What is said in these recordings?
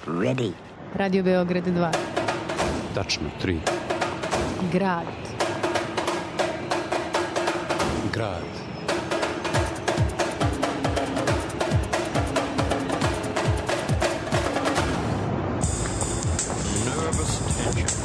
Ready. Radio Beograd 2. Tačno 3. Grad. Grad. Nervous tension.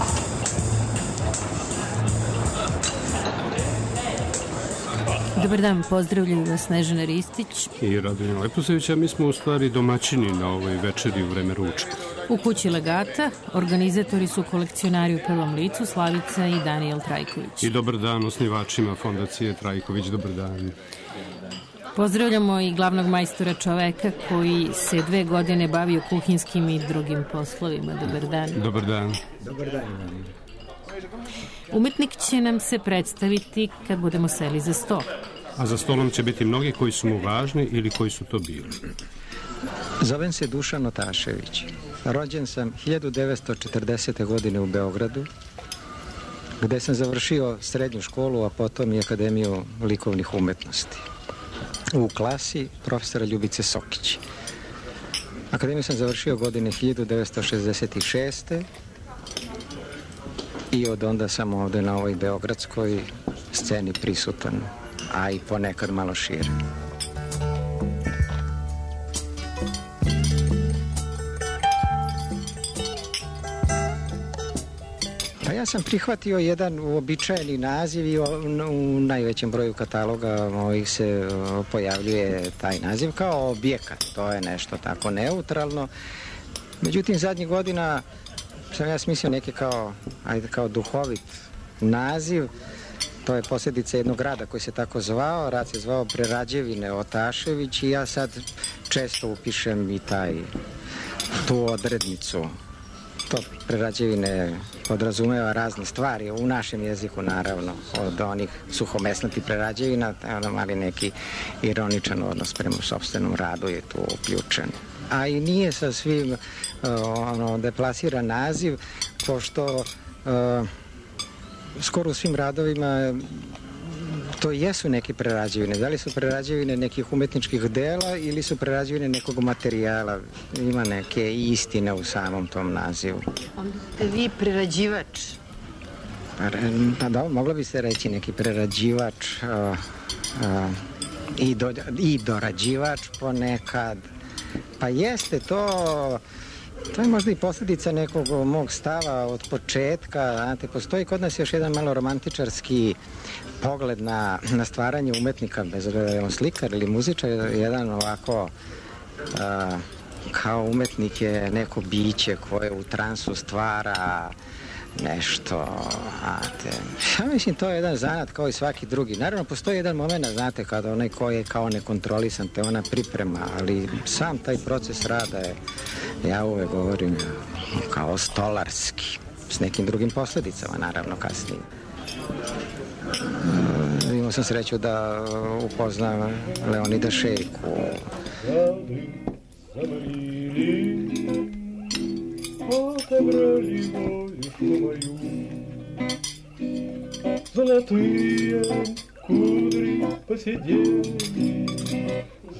Dobar dan, pozdravljaju vas Snežana Ristić I Radomir Leposević, a mi smo u stvari domaćini na ovoj večeri u vreme ručka. u kući Legata. Organizatori su kolekcionari u prvom licu Slavica i Danijel Trajković. I dobar dan osnivačima Fondacije Trajković, dobar dan. Pozdravljamo i glavnog majstora, čoveka koji se 2 godine bavio kuhinskim i drugim poslovima. Dobar dan. Dobar dan. Dobar dan. Umetnik će nam se predstaviti kad budemo seli za sto. A za stolom će biti mnogi koji su mu važni ili koji su to bili. Zovem se Dušan Otašević. Rođen sam 1940. godine u Beogradu, gde sam završio srednju školu, a potom i Akademiju likovnih umetnosti. U klasi profesora Ljubice Sokić. Akademiju sam završio godine 1966. I od onda sam ovde na ovoj beogradskoj sceni prisutan, a i ponekad malo šire. Pa ja sam prihvatio jedan uobičajeni naziv i u najvećem broju kataloga mojih se pojavljuje taj naziv kao objekat. To je nešto tako neutralno. Međutim, zadnjih godina sam ja smislio neki kao duhovit naziv. To je posljedica jednog rada koji se tako zvao. Rad se zvao Prerađevine Otašević i ja sad često upišem i tu odrednicu. To prerađevine podrazumeva razne stvari, u našem jeziku naravno, od onih suhomesnatih prerađevina, ali neki ironičan odnos prema sopstvenom radu je tu uključen. A i nije sa svim deplasiran naziv, pošto skoro u svim radovima to jesu neke prerađevine. Da li su prerađevine nekih umetničkih dela ili su prerađevine nekog materijala? Ima neke istine u samom tom nazivu. Onda ste vi prerađivač. Pa da, moglo bi se reći neki prerađivač i dorađivač ponekad. Pa jeste, to je možda i posljedica nekog mog stava od početka. Znate, postoji kod nas još jedan malo romantičarski pogled na stvaranje umetnika, bez obzira da je on slikar ili muzičar, jedan ovako kao umetnik je neko biće koje u transu stvara nešto, znate. Ja mislim, to je jedan zanat kao i svaki drugi. Naravno, postoji jedan moment, znate, kada onaj ko je kao nekontrolisan, te ona priprema, ali sam taj proces rada je, ja uvek govorim, kao stolarski, s nekim drugim posljedicama, naravno, kasnije. Imao sam sreću da upoznam Leonida Šejku. Отобрали волюшку мою, золотые кудри посидели,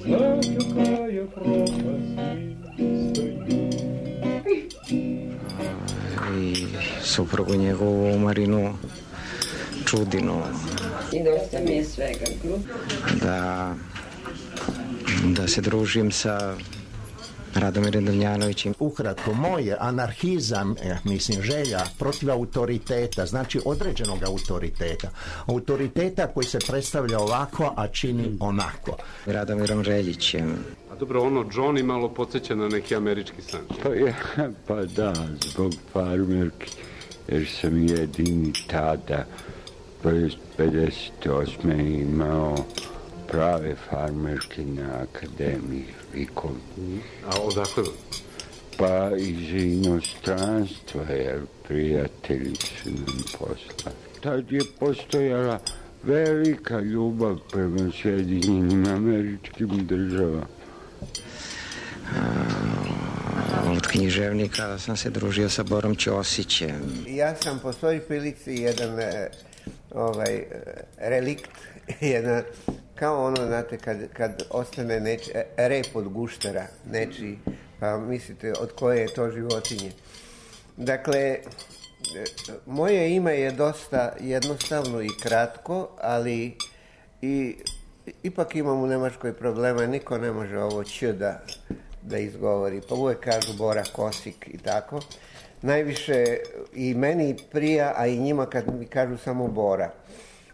затекая пропасть. I suprugu njegovu Marinu Čudinu. I dosta mi je svega. Da se družim sa Radomirom Damjanovićem. Ukratko, moj je anarhizam, želja protiv autoriteta, znači određenog autoriteta. Autoriteta koji se predstavlja ovako, a čini onako. Radomirom Reljićem. A dobro, Johnny malo podsjeća na neki američki san. Pa da, zbog farmerki, jer sam jedini tada, 58. imao prave farmerke na Akademiji likovnih. A odakle? Pa iz inostranstva, jer prijatelji su nam poslali. Tad je postojala velika ljubav prema Sjedinjenim Američkim Državama. Od književnika sam se družio sa Borom Ćosićem. Ja sam po svoj prilici jedan relikt, kao znate, kad ostane rep od guštera, nečiji Pa mislite od koje je to životinje? Dakle, moje ime je dosta jednostavno i kratko, ali ipak imam u Nemačkoj problema, niko ne može ovo ć da izgovori, pa uvijek kažu Bora Kosik i tako. Najviše i meni prija, a i njima kad mi kažu samo Bora,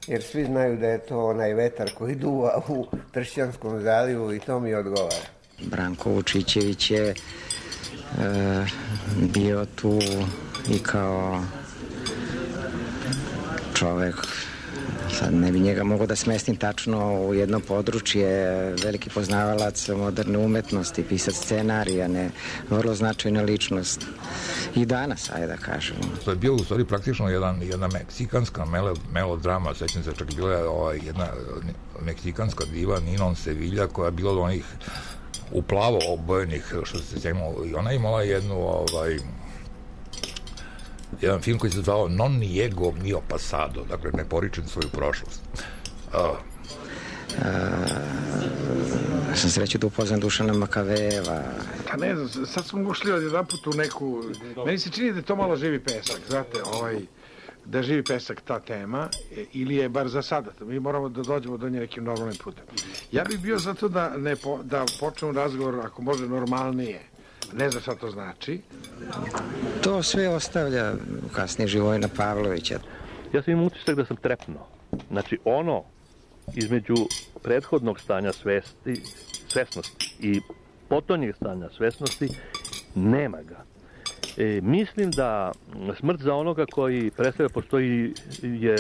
jer svi znaju da je to onaj vetar koji duva u Tršćanskom zalivu i to mi odgovara. Branko Vučićević je bio tu i kao čovek, sad ne bi njega mogao da smestim tačno u jedno područje, veliki poznavalac moderne umetnosti, pisac scenarija, vrlo značajna ličnost. I danas, ajde da kažemo. To je bilo u stvari praktično jedna meksikanska melodrama, sećam se, čak bila je jedna meksikanska diva Ninon Sevilla koja je bila od onih uplavo obojenih, što se sjećamo, i ona imala jedan film koji se zvao Non niego mio pasado, dakle ne poričem svoju prošlost. Sam sreću da upoznam Dušana Makavejeva. Pa ne znam, sad smo ušli od jedan put u neku... Meni se čini da je to malo živi pesak, znate, da živi pesak ta tema, ili je bar za sada. Mi moramo da dođemo do nje nekim normalnim putem. Ja bih bio za to da počnemo razgovor, ako može, normalnije. Ne znam šta to znači. To sve ostavlja kasnije Živojina Pavlovića. Ja sam imao utisak da sam trepnuo. Znači, ono između prethodnog stanja svesnosti i potonjeg stanja svesnosti, nema ga. Mislim da smrt za onoga koji predstavlja postoji je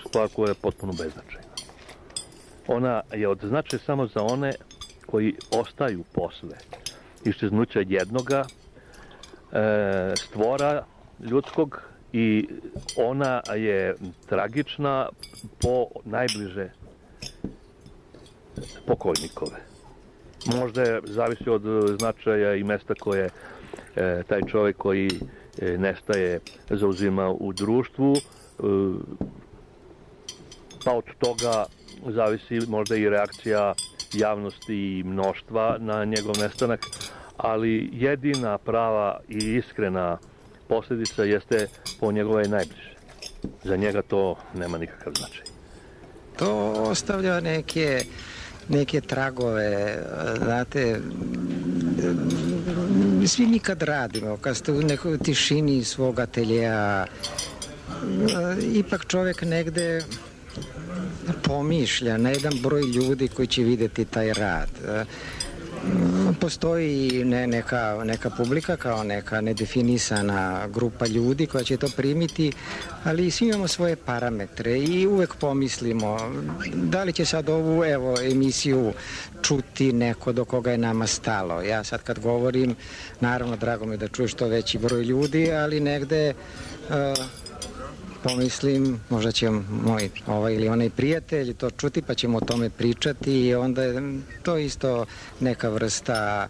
stvar koja je potpuno beznačajna. Ona je od značaja samo za one koji ostaju posle iščeznuća jednoga stvora ljudskog i ona je tragična po najbliže pokojnikove. Možda zavisi od značaja i mesta koje taj čovjek koji nestaje zauzima u društvu, pa od toga zavisi možda i reakcija javnosti i mnoštva na njegov nestanak, ali jedina prava i iskrena posljedica jeste po njegove najbliže. Za njega to nema nikakav značaj. To ostavlja neke tragove, znate, svi mi kad radimo, kad ste u nekoj tišini svog ateljeja, ipak čovjek negde pomišlja na jedan broj ljudi koji će vidjeti taj rad. Postoji neka publika kao neka nedefinisana grupa ljudi koja će to primiti, ali svi imamo svoje parametre i uvek pomislimo da li će sad ovu emisiju čuti neko do koga je nama stalo. Ja sad kad govorim, naravno drago mi je da čuje što veći broj ljudi, ali negde pomislim, možda će moj ovaj ili onaj prijatelj to čuti pa ćemo o tome pričati i onda je to isto neka vrsta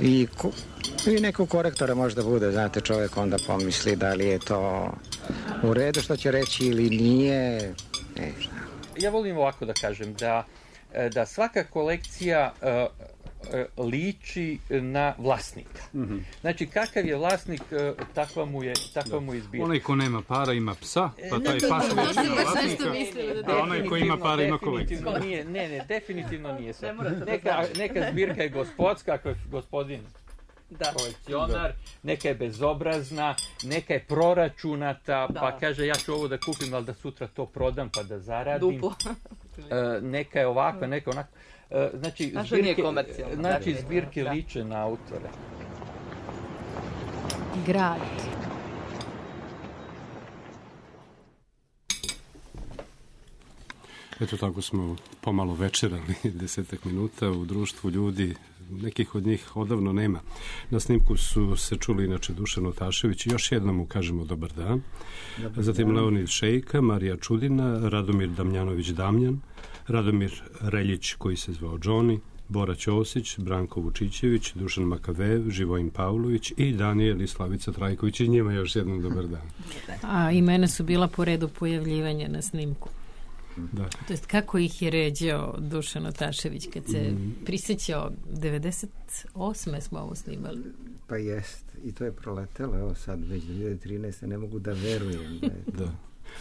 i nekog korektora možda bude, znate, čovjek onda pomisli da li je to u redu što će reći ili nije. Ja volim ovako da kažem, da svaka kolekcija liči na vlasnika. Znači, kakav je vlasnik, takva mu je zbirka. Onaj ko nema para ima psa, pa taj pas liči na vlasnika, a onaj ko ima para ima kolekciju. Ne, definitivno nije sve. Neka zbirka je gospodska, ako je gospodin kolekcionar, neka je bezobrazna, neka je proračunata, pa kaže ja ću ovo da kupim, ali da sutra to prodam pa da zaradim. Duplo. Neka je ovakva, neka onako. Znači, zbirke liče na autore. Grad. Eto tako smo pomalo večerali 10 minuta u društvu ljudi, nekih od njih odavno nema. Na snimku su se čuli inače Dušan Otašević, još jednom mu kažemo dobar dan. Zatim Leonid Šejka, Marija Čudina, Radomir Damjanović Damjan, Radomir Reljić koji se zvao Johnny, Bora Ćosić, Branko Vučićević, Dušan Makavejev, Živojin Pavlović i Danijel i Slavica Trajković, i njima još jednom dobar dan. A imena su bila po redu pojavljivanja na snimku. Da. To jest kako ih je ređao Dušan Otašević kad se prisjećao 98. smo ovo snimali. Pa jest. I to je proletelo, evo sad već 2013. Ne mogu da verujem. Da.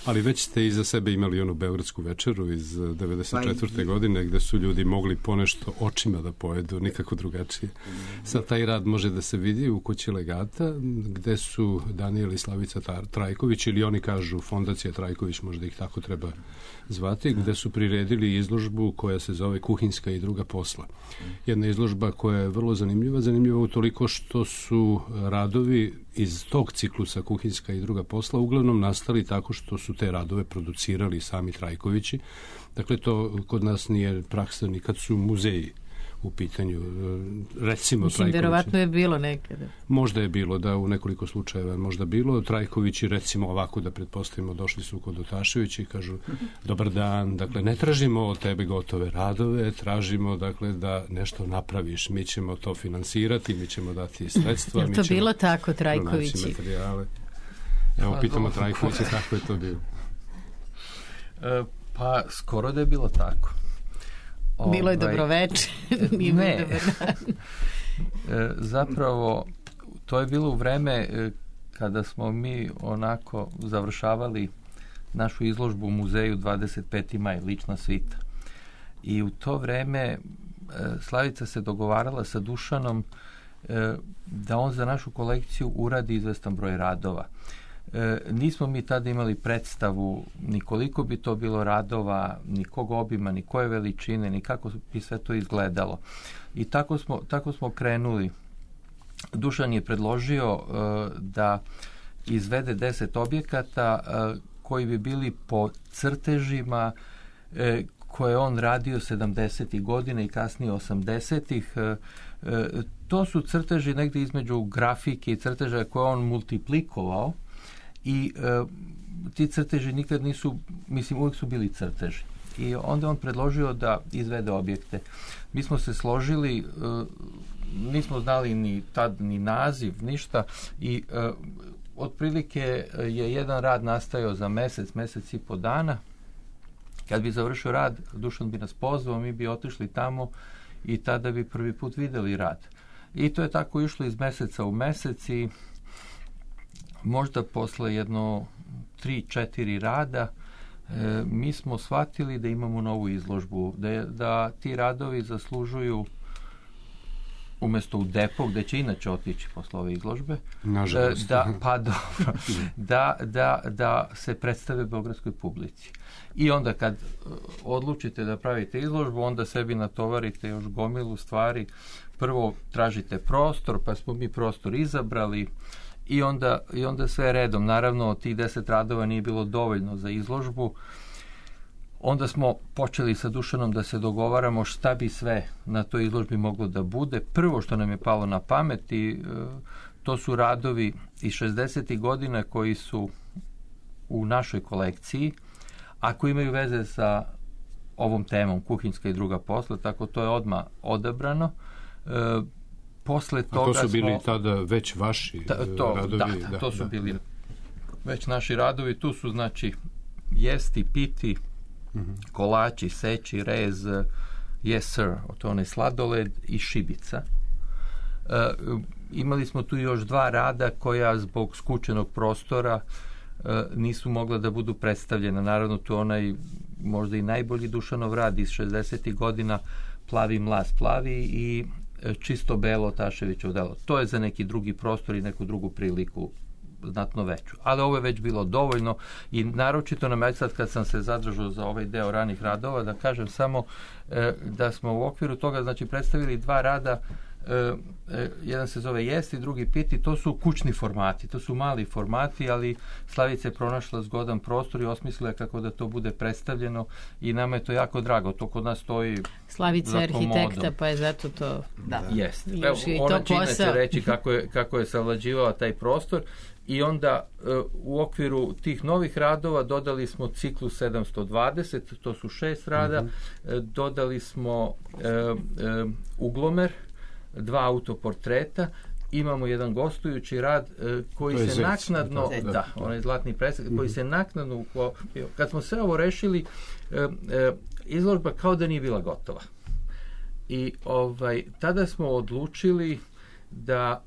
Ali već ste iza sebe imali onu beogradsku večeru iz 94. godine gde su ljudi mogli ponešto očima da pojedu, nikako drugačije. Sad taj rad može da se vidi u kući Legata, gde su Danijel i Slavica Trajković, ili oni kažu Fondacija Trajković, možda ih tako treba zvati, gde su priredili izložbu koja se zove Kuhinjska i druga posla. Jedna izložba koja je vrlo zanimljiva utoliko što su radovi iz tog ciklusa Kuhinjska i druga posla uglavnom nastali tako što su te radove producirali sami Trajkovići. Dakle, to kod nas nije praksa ni kad su muzeji u pitanju. Recimo, mislim, verovatno je bilo nekada. Možda je bilo, da, u nekoliko slučajeva možda bilo. Trajkovići, recimo ovako da pretpostavimo, došli su kod Otaševića i kažu dobar dan, dakle, ne tražimo od tebe gotove radove, tražimo, dakle, da nešto napraviš. Mi ćemo to finansirati, mi ćemo dati sredstva. Je to bilo tako, Trajkovići? Evo, pitamo Trajkovića kako je to bilo. Pa, skoro da je bilo tako. Bilo je dobroveče. Ne. Zapravo, to je bilo u vreme kada smo mi onako završavali našu izložbu u muzeju 25. maj, lična svita. I u to vreme Slavica se dogovarala sa Dušanom da on za našu kolekciju uradi izvestan broj radova. Nismo mi tada imali predstavu ni koliko bi to bilo radova, ni kog obima, ni koje veličine, ni kako bi sve to izgledalo. I tako smo krenuli. Dušan je predložio da izvede 10 objekata koji bi bili po crtežima koje on radio 70. godina i kasnije 80. To su crteži negdje između grafike i crteža koje on multiplikovao. I ti crteži nikad nisu, mislim, uvijek su bili crteži. I onda on predložio da izvede objekte. Mi smo se složili, nismo znali ni tad ni naziv, ništa, i otprilike je jedan rad nastajao za mesec i po dana. Kad bi završio rad, Dušan bi nas pozvao, mi bi otišli tamo i tada bi prvi put videli rad. I to je tako išlo iz meseca u mesec i možda posle jedno 3-4 rada mi smo shvatili da imamo novu izložbu, da ti radovi zaslužuju umjesto u depo, gde će inače otići posle ove izložbe, da se predstave beogradskoj publici. I onda kad odlučite da pravite izložbu, onda sebi natovarite još gomilu stvari. Prvo tražite prostor, pa smo mi prostor izabrali, i onda sve redom. Naravno, tih 10 radova nije bilo dovoljno za izložbu. Onda smo počeli sa Dušanom da se dogovaramo šta bi sve na toj izložbi moglo da bude. Prvo što nam je palo na pamet, to su radovi iz 60. godina koji su u našoj kolekciji, a koji imaju veze sa ovom temom Kuhinjska i druga posla, tako to je odmah odabrano. Posle toga to su bili tada već vaši radovi? Da, to su bili već naši radovi. Tu su, znači, jesti, piti, kolači, seći, rez, yes sir, to onaj sladoled i šibica. Imali smo tu još 2 rada koja zbog skučenog prostora nisu mogla da budu predstavljena. Naravno, tu onaj možda i najbolji Dušanov rad iz 60. godina, Plavi mlaz plavi, i Čisto belo Otaševićevo delo. To je za neki drugi prostor i neku drugu priliku znatno veću. Ali ovo je već bilo dovoljno i naročito nam, sad kad sam se zadržao za ovaj deo ranih radova, da kažem samo da smo u okviru toga, znači, predstavili 2 rada. Jedan se zove Jesti, drugi Piti. To su kućni formati, to su mali formati, ali Slavica je pronašla zgodan prostor i osmislila kako da to bude predstavljeno i nama je to jako drago. To kod nas stoji Slavica je arhitekta, pa je zato to jest. Ona će inače reći kako je savlađivao taj prostor. I onda u okviru tih novih radova dodali smo ciklus 720, to su 6 rada, dodali smo uglomer, 2 autoportreta, imamo jedan gostujući rad koji se naknadno, onaj zlatni presek, koji se naknadno, kad smo sve ovo rešili, izložba kao da nije bila gotova. I tada smo odlučili da,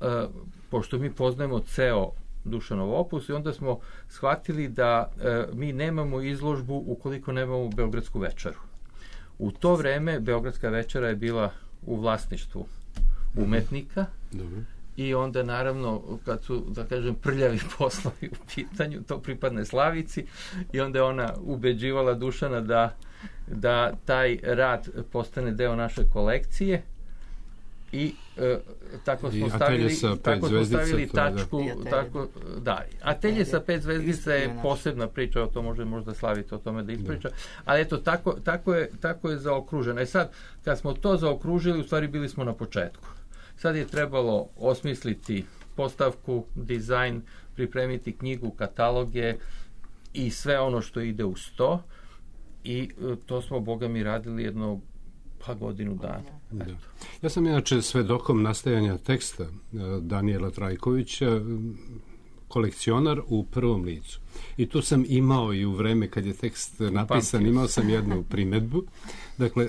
pošto mi poznajemo ceo Dušanov opus, i onda smo shvatili da mi nemamo izložbu ukoliko nemamo Beogradsku večeru. U to vreme Beogradska večera je bila u vlasništvu umetnika. Dobro. I onda naravno kad su, da kažem, prljavi poslovi u pitanju, to pripadne Slavici, i onda je ona ubeđivala Dušana da taj rad postane deo naše kolekcije, i tako smo stavili tačku. Atelje sa 5 zvezdica je posebna priča, o to može možda Slavica o tome da ispriča, ali eto, tako je zaokruženo. I sad, kad smo to zaokružili, u stvari bili smo na početku. Sad je trebalo osmisliti postavku, dizajn, pripremiti knjigu, kataloge i sve ono što ide uz to, i to smo, Boga mi, radili jedno godinu dana. Da. Ja sam inače svedokom nastajanja teksta Danijela Trajkovića, kolekcionar u prvom licu. I tu sam imao i u vreme kad je tekst napisan, imao sam jednu primedbu. Dakle,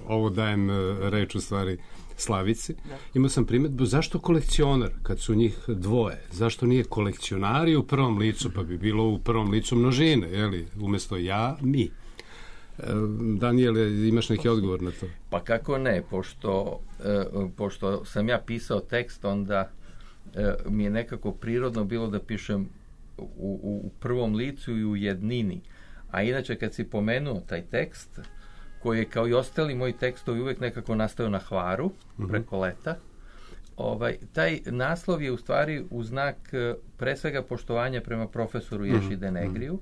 ovo dajem reč u stvari Slavici. Imao sam primedbu, zašto kolekcionar kad su njih dvoje? Zašto nije kolekcionari u prvom licu, pa bi bilo u prvom licu množine, jeli? Umjesto ja, mi. Danijele, imaš neki odgovor na to? Pa kako ne, pošto sam ja pisao tekst, onda mi je nekako prirodno bilo da pišem u prvom licu i u jednini. A inače, kad si pomenuo taj tekst, koji je kao i ostali moji tekstovi uvijek nekako nastao na Hvaru, preko leta, taj naslov je u stvari u znak pre svega poštovanja prema profesoru Ješi Denegriju,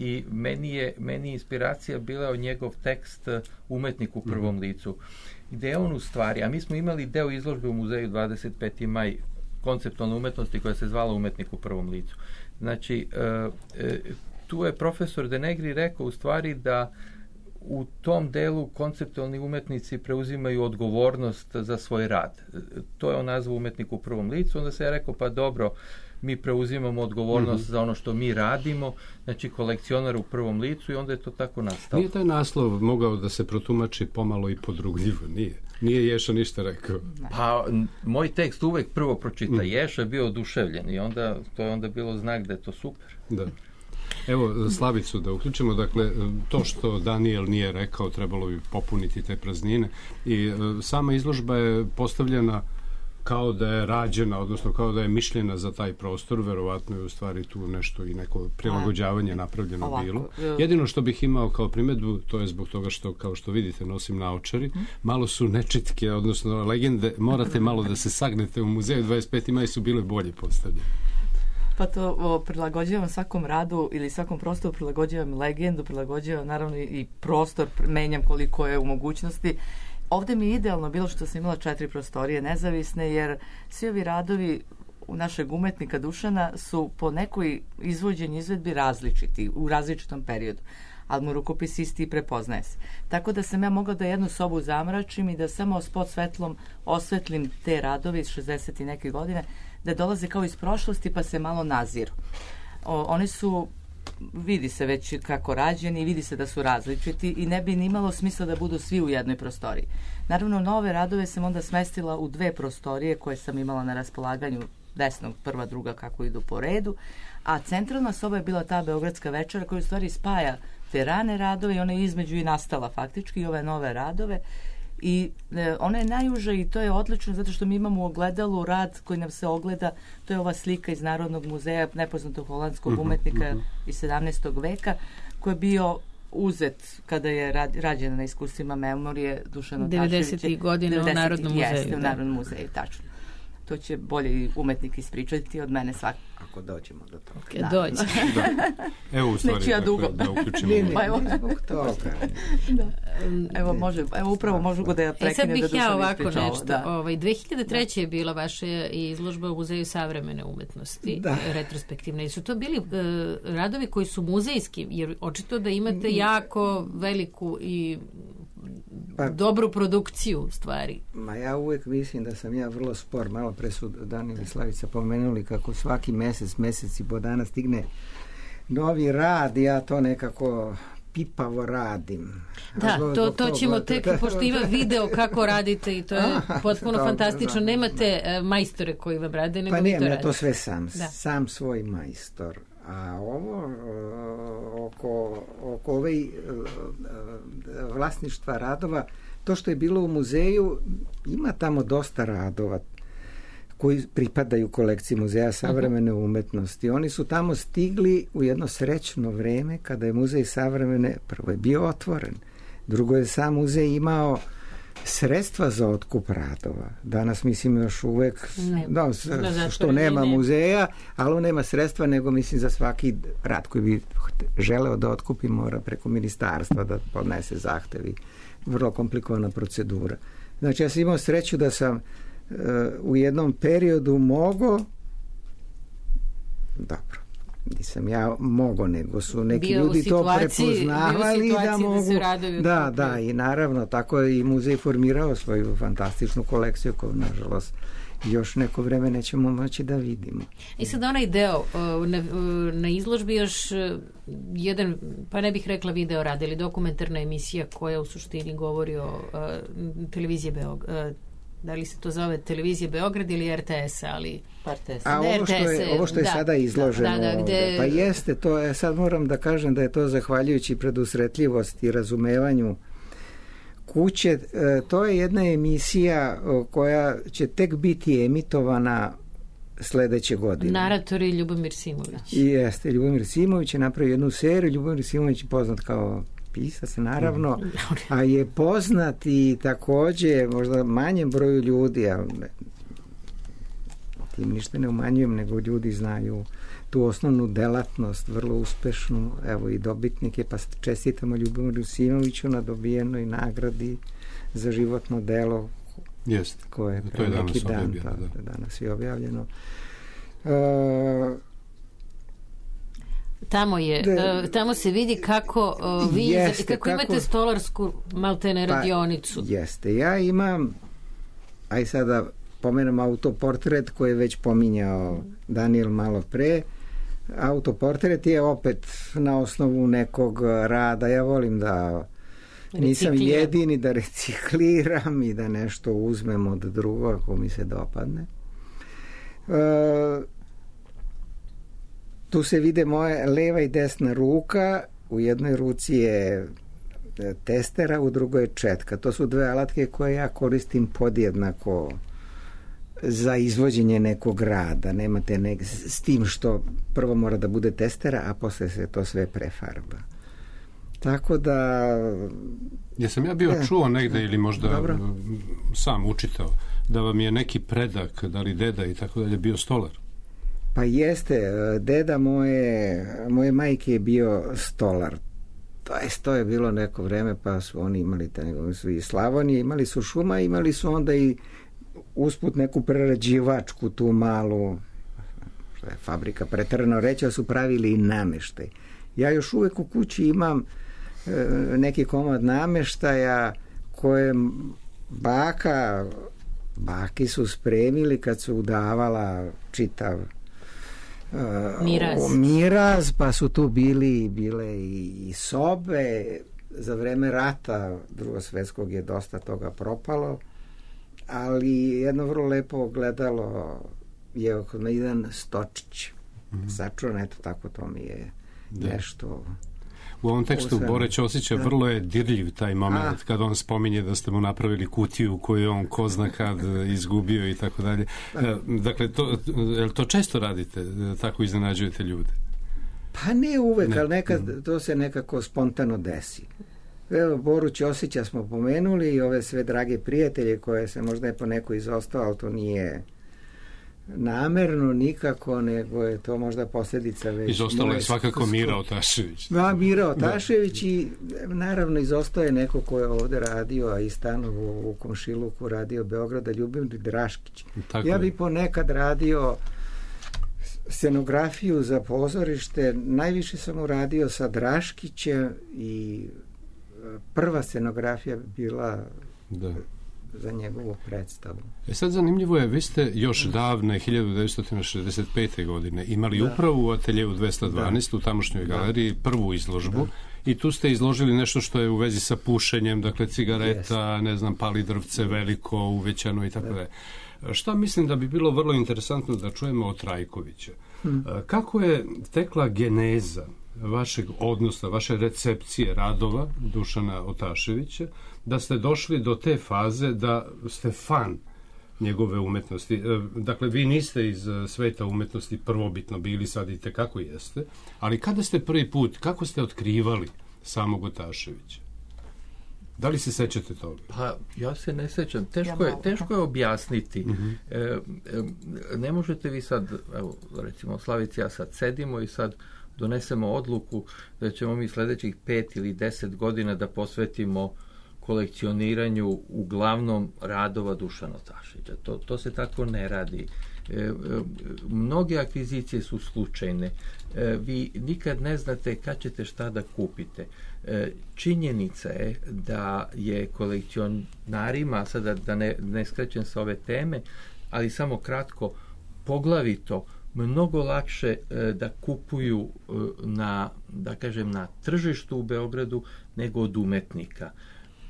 i meni je inspiracija bila od njegov tekst Umetnik u prvom licu, gde je on u stvari, a mi smo imali deo izložbe u muzeju 25. maj konceptualne umetnosti koja se zvala Umetnik u prvom licu. Znači, tu je profesor Denegri rekao u stvari da u tom delu konceptualni umetnici preuzimaju odgovornost za svoj rad. To je on nazvao Umetnik u prvom licu, onda se ja rekao, pa dobro, mi preuzimamo odgovornost za ono što mi radimo, znači kolekcionar u prvom licu, i onda je to tako nastalo. Nije taj naslov mogao da se protumači pomalo i podrugljivo? Nije Ješa ništa rekao. Pa, moj tekst uvek prvo pročita Ješa, je bio oduševljen, i onda to je onda bilo znak da je to super. Da. Evo, Slavicu da uključimo, dakle, to što Danijel nije rekao, trebalo bi popuniti te praznine, i sama izložba je postavljena kao da je rađena, odnosno kao da je mišljena za taj prostor, verovatno je u stvari tu nešto i neko prilagođavanje napravljeno bilo. Jedino što bih imao kao primedbu, to je zbog toga što, kao što vidite, nosim naočari, malo su nečitke, odnosno legende, morate malo da se sagnete u muzeju 25. maj su bile bolje postavljene. Pa to prilagođavam svakom radu ili svakom prostoru, prilagođavam legendu, prilagođavam naravno i prostor, menjam koliko je u mogućnosti. Ovdje mi je idealno bilo što sam imala 4 prostorije nezavisne, jer svi ovi radovi u našeg umetnika Dušana su po nekoj izvođenju izvedbi različiti, u različitom periodu, ali mu rukopis isti i prepoznaje se. Tako da sam ja mogla da jednu sobu zamračim i da samo s podsvetlom osvetlim te radove iz 60 i neke godine, da dolaze kao iz prošlosti pa se malo naziru. Oni su, vidi se već kako rađeni, vidi se da su različiti i ne bi ni imalo smisla da budu svi u jednoj prostoriji. Naravno, nove radove sam onda smestila u 2 prostorije koje sam imala na raspolaganju, desnog, prva, druga, kako idu po redu, a centralna soba je bila ta Beogradska večera koja u stvari spaja te rane radove i ona je između i nastala faktički i ove nove radove. I ona je najuža i to je odlično zato što mi imamo u ogledalu rad koji nam se ogleda, to je ova slika iz Narodnog muzeja nepoznatog holandskog umetnika iz 17. veka koji je bio uzet kada je rađena na iskustvima memorije Dušana Taševića. 90. godine u Narodnom muzeju. Jeste, u Narodnom muzeju, tačno. To će bolje i umetnik ispričati od mene svak. Ako dođemo do toga. Okay, dođe. Evo u stvari da uključimo. Evo može, evo upravo možu da ja prekinem da Dušan ispriča. Sad bih ja ovako nešto. 2003. je bila vaša izložba u Muzeju savremene umetnosti, retrospektivna. I su to bili radovi koji su muzejski, jer očito da imate jako veliku i dobru produkciju u stvari. Ma ja uvijek mislim da sam ja vrlo spor. Malo pre su Danijel i Slavica pomenuli kako svaki mesec i po dana stigne novi rad i ja to nekako pipavo radim. Da, to ćemo tek, pošto ima video kako radite i to je potpuno fantastično. Nemate majstore koji vam rade, nego vi to radite. Pa nemam, ja to sve sam svoj majstor. A ovo oko ove vlasništva radova, to što je bilo u muzeju, ima tamo dosta radova koji pripadaju kolekciji Muzeja savremene umetnosti. Oni su tamo stigli u jedno srećno vreme kada je Muzej savremene, prvo je bio otvoren, drugo je sam muzej imao sredstva za otkup radova. Danas mislim još uvek što nema muzeja, ali on nema sredstva, nego mislim za svaki rad koji bi želeo da otkupi mora preko ministarstva da podnese zahtevi. Vrlo komplikovana procedura. Znači ja sam imao sreću da sam u jednom periodu mogao, dobro, nisam ja mogao, nego su neki ljudi to prepoznavali da mogu. Da, i naravno tako je i muzej formirao svoju fantastičnu kolekciju koju nažalost još neko vreme nećemo moći da vidimo. I sad onaj deo na izložbi još jedan, pa ne bih rekla video rad, ili dokumentarna emisija koja u suštini govori o televiziji Beograd. Da li se to zove Televizija Beograd ili RTS, ali RTS. A ovo što je sada izloženo ovde, pa jeste, to je, sad moram da kažem da je to zahvaljujući predusretljivosti i razumevanju kuće, to je jedna emisija koja će tek biti emitovana sledeće godine. Narator je Ljubomir Simović. Jeste, Ljubomir Simović je napravio jednu seriju. Ljubomir Simović je poznat kao pisac, naravno, a je poznat i takođe možda manjem broju ljudi, ali tim ništa ne umanjujem, nego ljudi znaju tu osnovnu delatnost, vrlo uspešnu, evo i dobitnike, pa čestitamo Ljubomiru Simoviću na dobijenoj nagradi za životno delo koje je pre neki dan, danas je objavljeno. Tamo se vidi kako kako imate stolarsku maltene radionicu. Jeste, ja imam, aj sada pomenem autoportret koji je već pominjao Daniel malo pre. Autoportret je opet na osnovu nekog rada. Ja volim da nisam jedini, da recikliram i da nešto uzmem od drugog ako mi se dopadne. Tu se vide moje leva i desna ruka, u jednoj ruci je testera, u drugoj je četka. To su dve alatke koje ja koristim podjednako za izvođenje nekog rada. Nemate s tim što prvo mora da bude testera, a posle se to sve prefarba. Tako da... Jesam ja bio čuo negde ili možda sam učitao da vam je neki predak, da li deda i tako dalje, bio stolar? Pa jeste, deda moje majke je bio stolar. To je bilo neko vreme, pa su oni imali su i Slavonije, imali su šuma, imali su onda i usput neku prerađivačku tu malu, što je fabrika preterano reći, ali su pravili i nameštaj. Ja još uvek u kući imam neki komad nameštaja koje baki su spremili kad su udavala čitav miraz, pa su tu bile i sobe. Za vreme rata Drugog svjetskog je dosta toga propalo, ali jedno vrlo lepo ogledalo je oko jedan stočić sačuvan, eto tako, to mi je nešto. U ovom tekstu Bore Ćosića vrlo je dirljiv taj moment kad on spominje da ste mu napravili kutiju koju on ko zna kad izgubio i tako dalje. Dakle, to često radite, tako iznenađujete ljude? Pa ne uvek, ali nekad to se nekako spontano desi. Evo, Boru Ćosića smo pomenuli i ove sve drage prijatelje koje se možda je po neko izostao, ali to nije namerno nikako, nego je to možda posljedica već... Izostalo je svakako Mira Otašević. Mira Otašević i naravno izostao je neko ko je ovde radio, a i stanovo u komšiluku radio Beograda, Ljubomir Draškić. Ja bi ponekad radio scenografiju za pozorište, najviše sam uradio sa Draškićem i prva scenografija bi bila za njegovu predstavu. Sad zanimljivo je, vi ste još davne 1965. godine imali upravo u ateljevu 212 u tamošnjoj galeriji prvu izložbu i tu ste izložili nešto što je u vezi sa pušenjem, dakle cigareta, ne znam, pali drvce veliko, uvećano i tako dalje. Šta mislim da bi bilo vrlo interesantno da čujemo od Trajkovića? Kako je tekla geneza vašeg odnosa, vaše recepcije radova Dušana Otaševića, da ste došli do te faze da ste fan njegove umetnosti? Dakle, vi niste iz sveta umetnosti prvobitno bili, sad i tekako jeste, ali kada ste prvi put, kako ste otkrivali samog Otaševića? Da li se sećate toga? Pa, ja se ne sećam. Teško je objasniti. Ne možete vi sad, evo, recimo, Slavici, ja sad sedimo i sad donesemo odluku da ćemo mi sljedećih 5 ili 10 godina da posvetimo kolekcioniranju uglavnom radova Dušana Otaševića. To se tako ne radi. Mnoge akvizicije su slučajne. Vi nikad ne znate kad ćete šta da kupite. Činjenica je da je kolekcionarima, sada da ne skrećem sa ove teme, ali samo kratko, poglavito mnogo lakše da kupuju na tržištu u Beogradu nego od umetnika.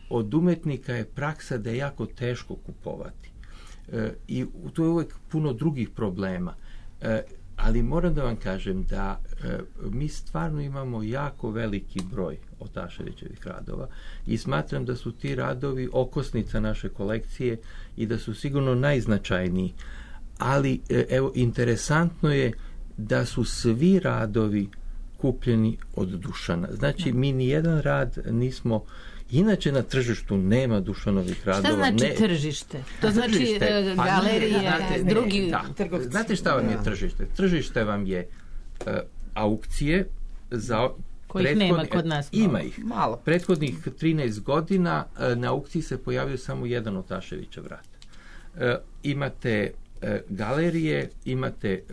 Od umetnika je praksa da je jako teško kupovati. I tu je uvijek puno drugih problema. Ali moram da vam kažem da mi stvarno imamo jako veliki broj Otaševićevih radova i smatram da su ti radovi okosnica naše kolekcije i da su sigurno najznačajniji. Ali, evo, interesantno je da su svi radovi kupljeni od Dušana. Znači, mi nijedan rad nismo... Inače na tržištu nema Dušanovih radova. Šta znači tržište? To znači galerije, drugi trgovci. Znate šta vam je tržište? Tržište vam je aukcije za... Kojih nema kod nas. Ima ih. Malo. Prethodnih 13 godina na aukciji se pojavio samo jedan Otaševićev rad. Imate galerije, imate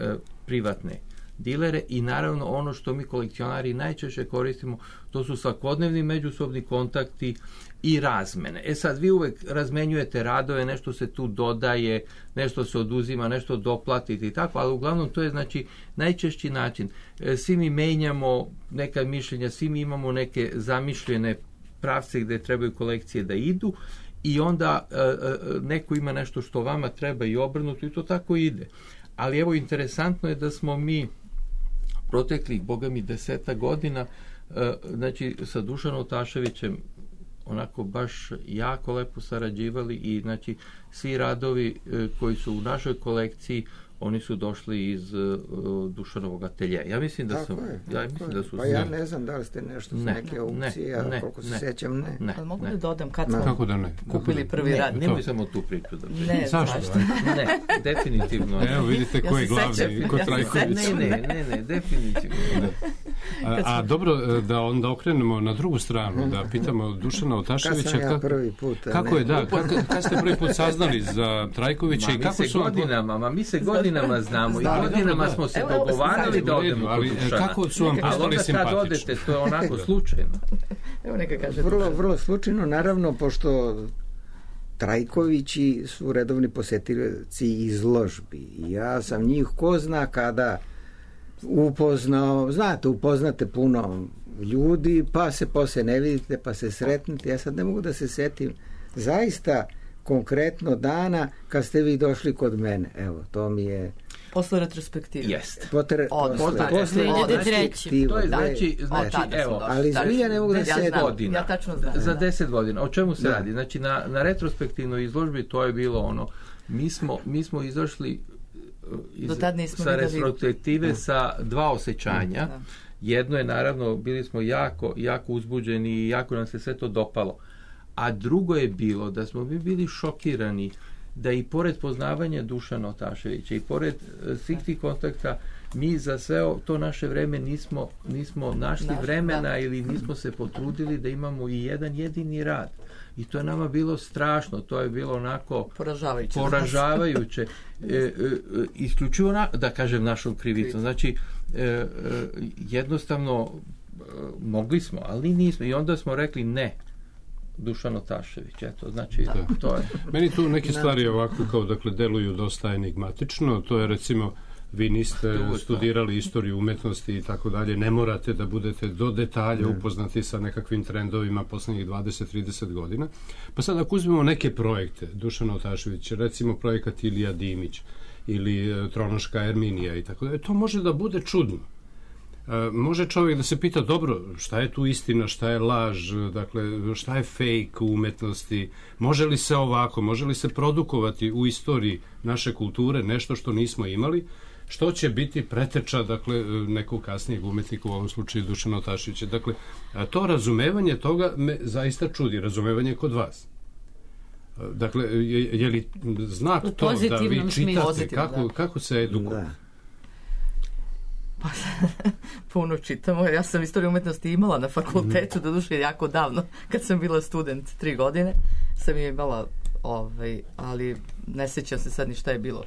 privatne dilere i naravno ono što mi kolekcionari najčešće koristimo, to su svakodnevni međusobni kontakti i razmene. Sad vi uvek razmenjujete radove, nešto se tu dodaje, nešto se oduzima, nešto doplatite i tako, ali uglavnom to je znači najčešći način. Svi mi menjamo neka mišljenja, svi mi imamo neke zamišljene pravce gde trebaju kolekcije da idu i onda neko ima nešto što vama treba i obrnuto i to tako ide. Ali evo, interesantno je da smo mi proteklih, boga mi, 10 godina, znači sa Dušanom Otaševićem onako baš jako lepo sarađivali i znači svi radovi koji su u našoj kolekciji, oni su došli iz Dušanovog ateljeja. Ja mislim da su... Pa ja ne znam da li ste nešto s neke aukcije, a koliko se sećam, ne. Ali mogu da dodam kad smo kako da ne? Kupili prvi rad. Nemoj samo tu priču da priču. Ne, zašto? Ne, definitivno. Evo vidite ko je glavni, ko Trajković. Ne, definitivno. A dobro, da onda okrenemo na drugu stranu, da pitamo Dušana Otaševića. Kad sam ja prvi put? Kako je, da, kad ste prvi put saznali za Trajkovića i kako su... Mi se godinama znamo i godinama smo se dogovarali da odemo kod Dušana. Kako su vam postali simpatični? Ali onda kad odete, to je onako slučajno. Evo neka kaže. Vrlo slučajno, naravno, pošto Trajkovići su redovni posetilaci izložbi. Ja sam njih ko zna kada upoznao, upoznate puno ljudi, pa se posle ne vidite, pa se sretnete. Ja sad ne mogu da se setim zaista konkretno dana kad ste vi došli kod mene. Evo, to mi je... Posle retrospektive. Jeste. Posle retrospektive. To je znači evo, ali zbilja ne mogu da se godina. Ja tačno znam. Za 10 godina. O čemu se radi? Znači, na retrospektivnoj izložbi to je bilo ono, mi smo izašli sa retrospektive sa dva osjećanja. Jedno je, naravno, bili smo jako uzbuđeni i jako nam se sve to dopalo. A drugo je bilo da smo mi bili šokirani da i pored poznavanja Dušana Otaševića i pored svih tih kontakta, mi za sve to naše vreme nismo našli vremena ili nismo se potrudili da imamo i jedan jedini rad. I to je nama bilo strašno, to je bilo onako poražavajuće. Isključivo, da kažem, našom krivicom. Znači, jednostavno mogli smo, ali nismo. I onda smo rekli ne. Dušan Otašević, eto, znači to je. Meni tu neke stvari ovako kao, dakle, deluju dosta enigmatično, to je recimo vi niste studirali istoriju umetnosti i tako dalje, ne morate da budete do detalja upoznati sa nekakvim trendovima poslednjih 20-30 godina. Pa sad ako uzmemo neke projekte Dušana Otaševića, recimo projekat Ilija Dimić ili Tronoška Erminija i tako dalje, to može da bude čudno. Može čovjek da se pita, dobro, šta je tu istina, šta je laž, dakle, šta je fake u umetnosti, može li se ovako, može li se produkovati u istoriji naše kulture nešto što nismo imali, što će biti preteča, dakle, nekog kasnijeg umetnika, u ovom slučaju Dušana Otaševića. Dakle, to razumevanje toga me zaista čudi, razumevanje kod vas. Dakle, je li znak to da vi čitate, kako se edukujete? Pa, puno čitamo. Ja sam istoriju umetnosti imala na fakultetu, doduše jako davno, kad sam bila student 3 godine, sam je imala, ali ne sjećam se sad ni šta je bilo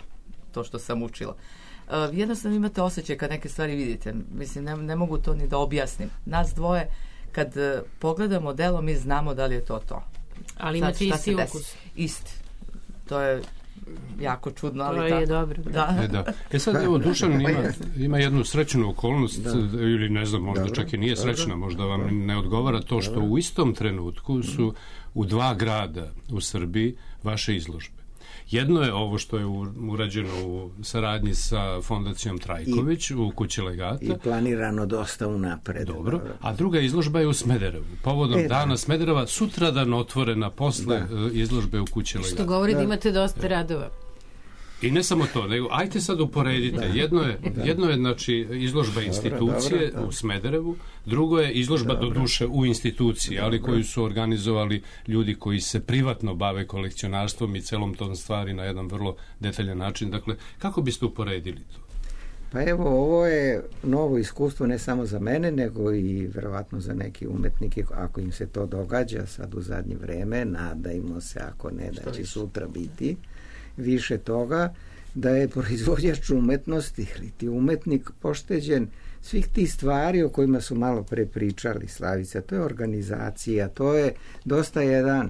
to što sam učila. Jednostavno imate osjećaj kad neke stvari vidite. Mislim, ne mogu to ni da objasnim. Nas dvoje, kad pogledamo delo, mi znamo da li je to to. Ali imate isti ukus. Isti. To je jako čudno, ali to je dobro. Da. Sad, evo, Dušan ima jednu srećnu okolnost, ili ne znam, možda čak i nije srećna, možda vam ne odgovara to što u istom trenutku su u 2 grada u Srbiji vaše izložbe. Jedno je ovo što je urađeno u saradnji sa Fondacijom Trajković u Kući legata. I planirano dosta unapred. Dobro. A druga izložba je u Smederevu. Povodom dana Smedereva, sutradan otvorena posle izložbe u Kući legata. Što govori da imate dosta radova. I ne samo to, nego ajte sad uporedite. Jedno je znači, izložba institucije u Smederevu, drugo je izložba do duše u instituciji, ali koju su organizovali ljudi koji se privatno bave kolekcionarstvom i celom tom stvari na jedan vrlo detaljan način. Dakle, kako biste uporedili to? Pa evo, ovo je novo iskustvo ne samo za mene, nego i verovatno za neke umetnike, ako im se to događa sad u zadnje vreme, nadajmo se, ako ne, da će sutra biti više toga, da je proizvođač umetnosti ili ti umetnik pošteđen svih tih stvari o kojima su malo pre pričali, Slavica. To je organizacija, to je dosta jedan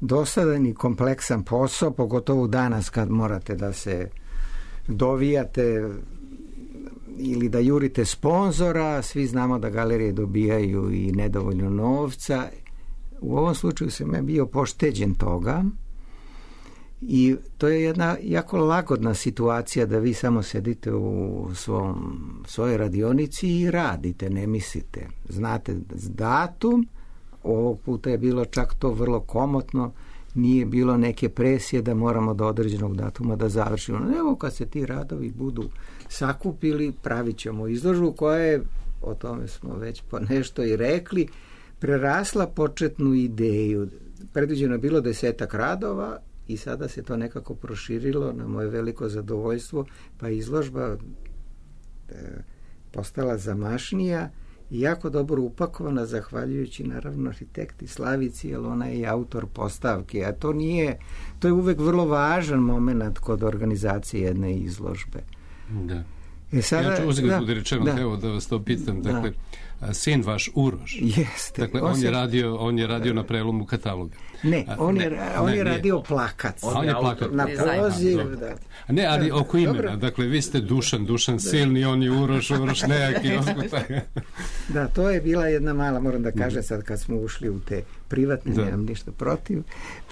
dosadan i kompleksan posao, pogotovo danas kad morate da se dovijate ili da jurite sponzora. Svi znamo da galerije dobijaju i nedovoljno novca. U ovom slučaju sam ja bio pošteđen toga. I to je jedna jako lagodna situacija da vi samo sedite u svojoj radionici i radite, ne mislite. Znate datum, ovog puta je bilo čak to vrlo komotno, nije bilo neke presije da moramo do određenog datuma da završimo. Evo kad se ti radovi budu sakupili, pravit ćemo izložbu koja je, o tome smo već po nešto i rekli, prerasla početnu ideju. Predviđeno je bilo 10 radova, i sada se to nekako proširilo na moje veliko zadovoljstvo, pa izložba postala zamašnija i jako dobro upakovana, zahvaljujući naravno arhitekti Slavici, jer ona je i autor postavke, a to je uvek vrlo važan moment kod organizacije jedne izložbe. Da. Ja ću uzeti budi rečeno, evo da vas to pitam, dakle, sin vaš Uroš, jeste, dakle, on je radio na prelomu kataloga. Ne, on je radio plakat. Na poziv. Ne, ali oko imena, dakle, vi ste Dušan Silni, on je Uroš nejaki. Da, to je bila jedna mala, moram da kažem sad kad smo ušli u te privatne, nemam ništa protiv,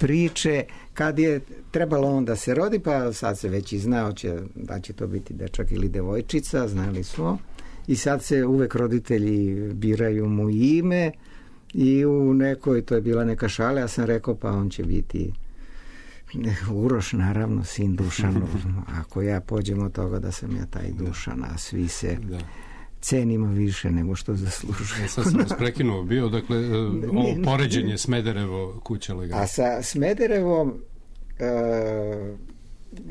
priče, kad je trebalo on da se rodi, pa sad se već i znao da će to biti dečak ili devojčica, znali smo, i sad se uvek roditelji biraju mu ime i u nekoj, to je bila neka šala, ja sam rekao pa on će biti Uroš, naravno, sin Dušanov. Ako ja pođem od toga da sam ja taj Dušan, a svi se cenimo više nego što zaslužuje. Sad sam vas prekinuo bio, dakle, ovo poređenje Smederevo, Kuća legata. A sa Smederevom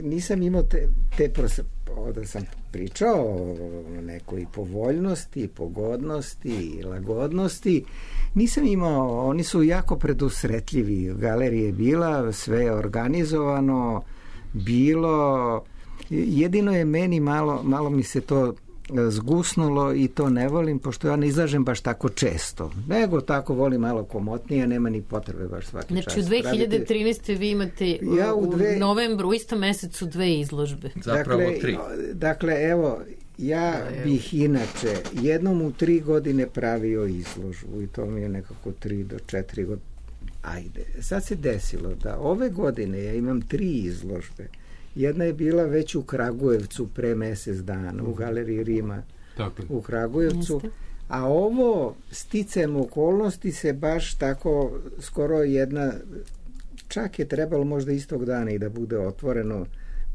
nisam imao da sam pričao o nekoj povoljnosti, pogodnosti, lagodnosti. Nisam imao, oni su jako predusretljivi. Galerija je bila, sve je organizovano, bilo. Jedino je meni malo mi se to zgusnulo i to ne volim, pošto ja ne izlažem baš tako često. Nego tako volim malo komotnije, nema ni potrebe baš svaki čas. Znači u 2013. vi imate u novembru, u istom mesecu 2 izložbe. Zapravo 3. Dakle, evo, ja bih inače jednom u 3 godine pravio izložbu i to mi je nekako 3 do 4 godine. Ajde, sad se desilo da ove godine ja imam 3 izložbe. Jedna je bila već u Kragujevcu pre mjesec dana, u Galeriji Rima u Kragujevcu, a ovo sticajem okolnosti se baš tako skoro jedna, čak je trebalo možda istog dana i da bude otvoreno,